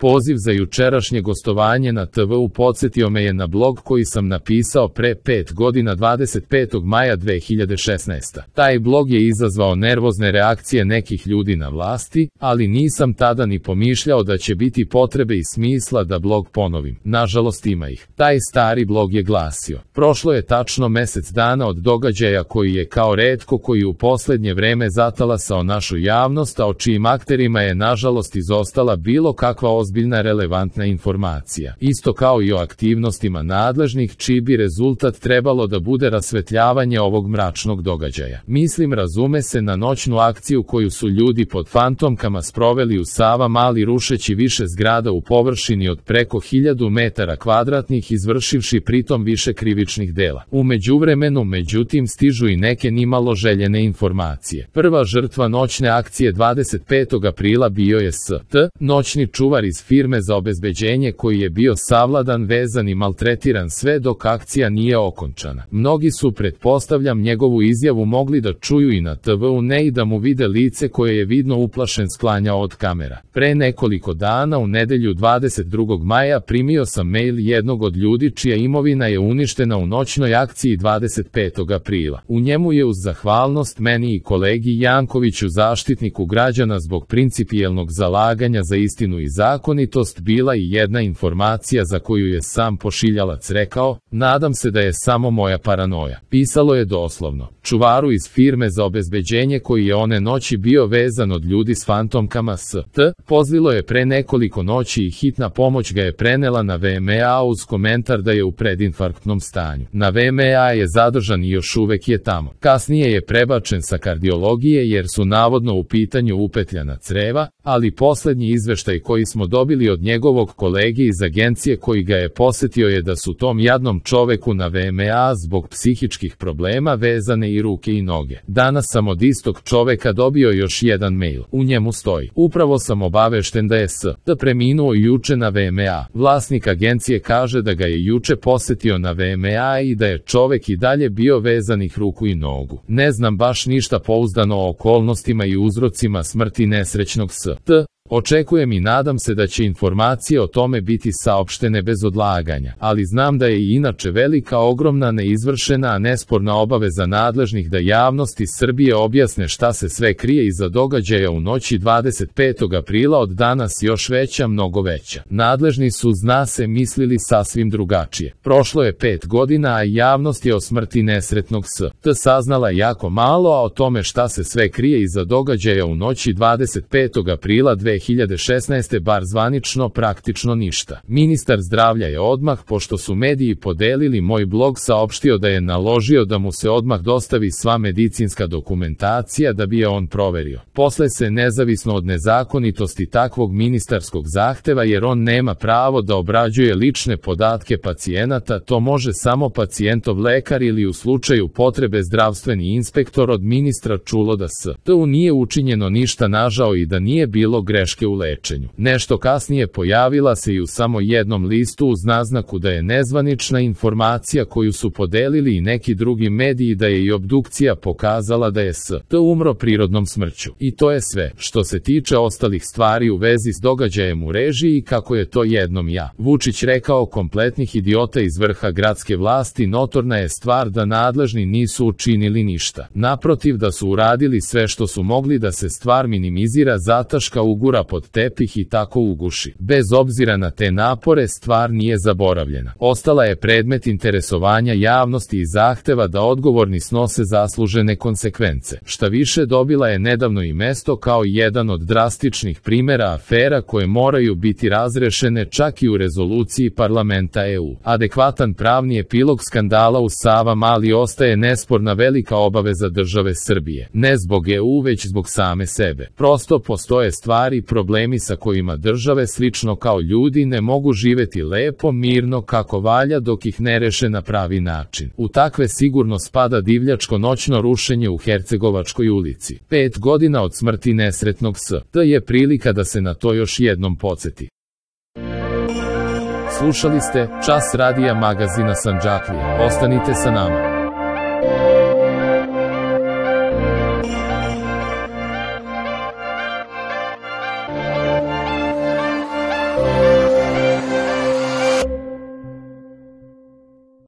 Poziv za jučerašnje gostovanje na TV-u podsjetio me je na blog koji sam napisao pre 5 godina 25. maja 2016. Taj blog je izazvao nervozne reakcije nekih ljudi na vlasti, ali nisam tada ni pomišljao da će biti potrebe i smisla da blog ponovim. Nažalost ima ih. Taj stari blog je glasio: prošlo je tačno mesec dana od događaja koji je kao retko koji u poslednje vreme zatalasao našu javnost, a o čijim akterima je nažalost izostala bilo kakva ozbiljna relevantna informacija. Isto kao i o aktivnostima nadležnih, čiji bi rezultat trebalo da bude rasvetljavanje ovog mračnog događaja. Mislim, razume se, na noćnu akciju koju su ljudi pod fantomkama sproveli u Savamali, rušeći više zgrada u površini od preko 1000 metara kvadratnih, izvršivši pritom više krivičnih dela. U međuvremenu, međutim, stižu i neke nimalo željene informacije. Prva žrtva noćne akcije 25. aprila bio je S.T., noćni čuvar iz firme za obezbeđenje koji je bio savladan, vezan i maltretiran sve dok akcija nije okončana. Mnogi su, pretpostavljam, njegovu izjavu mogli da čuju i na TV-u, ne i da mu vide lice koje je vidno uplašen sklanjao od kamera. Pre nekoliko dana, u nedelju 22. maja, primio sam mail jednog od ljudi čija imovina je uništena u noćnoj akciji 25. aprila. U njemu je uz zahvalnost meni i kolegi Jankoviću, zaštitniku građana zbog principijelnog zalaganja za istinu i zakonitost, bila i jedna informacija za koju je sam pošiljalac rekao: nadam se da je samo moja paranoja. Pisalo je doslovno: čuvaru iz firme za obezbeđenje koji je one noći bio vezan od ljudi s fantomkama S.T. pozvilo je pre nekoliko noći i hitna pomoć ga je prenela na VMA uz komentar da je u predinfarktnom stanju. Na VMA je zadržan i još uvek je tamo. Kasnije je prebačen sa kardiologije jer su navodno u pitanju upetljana creva, ali poslednji izveštaj koji smo dobili od njegovog kolege iz agencije koji ga je posetio je da su tom jadnom čoveku na VMA zbog psihičkih problema vezane i ruke i noge. Danas sam od istog čoveka dobio još jedan mail. U njemu stoji: upravo sam obavešten da je S.T. preminuo juče na VMA. Vlasnik agencije kaže da ga je juče posetio na VMA i da je čovek i dalje bio vezanih ruku i nogu. Ne znam baš ništa pouzdano o okolnostima i uzrocima smrti nesrećnog S.T. Očekujem i nadam se da će informacije o tome biti saopštene bez odlaganja, ali znam da je i inače velika, ogromna, neizvršena, a nesporna obaveza nadležnih da javnosti Srbije objasne šta se sve krije iza događaja u noći 25. aprila, od danas još veća, mnogo veća. Nadležni su, zna se, mislili sasvim drugačije. Prošlo je 5 godina, a javnost je o smrti nesretnog S.T. saznala jako malo, a o tome šta se sve krije iza događaja u noći 25. aprila 2016. bar zvanično praktično ništa. Ministar zdravlja je odmah, pošto su mediji podelili moj blog, saopštio da je naložio da mu se odmah dostavi sva medicinska dokumentacija da bi je on proverio. Posle se, nezavisno od nezakonitosti takvog ministarskog zahteva, jer on nema pravo da obrađuje lične podatke pacijenata, to može samo pacijentov lekar ili u slučaju potrebe zdravstveni inspektor, od ministra čulo da S.T. nije učinjeno ništa nažao i da nije bilo greške u lečenju. Nešto kasnije pojavila se i u samo jednom listu uz naznaku da je nezvanična informacija koju su podelili i neki drugi mediji, da je i obdukcija pokazala da je S.T. umro prirodnom smrću. I to je sve. Što se tiče ostalih stvari u vezi s događajem u režiji, kako je to jednom Vučić rekao, kompletnih idiota iz vrha gradske vlasti, notorna je stvar da nadležni nisu učinili ništa. Naprotiv, da su uradili sve što su mogli da se stvar minimizira, zataška, ugura pod tepih i tako uguši. Bez obzira na te napore, stvar nije zaboravljena. Ostala je predmet interesovanja javnosti i zahteva da odgovorni snose zaslužene konsekvence. Šta više, dobila je nedavno i mesto kao jedan od drastičnih primera afera koje moraju biti razrešene čak i u rezoluciji parlamenta EU. Adekvatan pravni epilog skandala u Savamali ostaje nesporna velika obaveza države Srbije. Ne zbog EU, već zbog same sebe. Prosto postoje stvari, problemi sa kojima države, slično kao ljudi, ne mogu živeti lepo, mirno, kako valja dok ih ne reše na pravi način. U takve sigurno spada divljačko noćno rušenje u Hercegovačkoj ulici. 5 godina od smrti nesretnog S.T. je prilika da se na to još jednom podsjeti. Slušali ste Čas radija magazina Sandžaklije. Ostanite sa nama.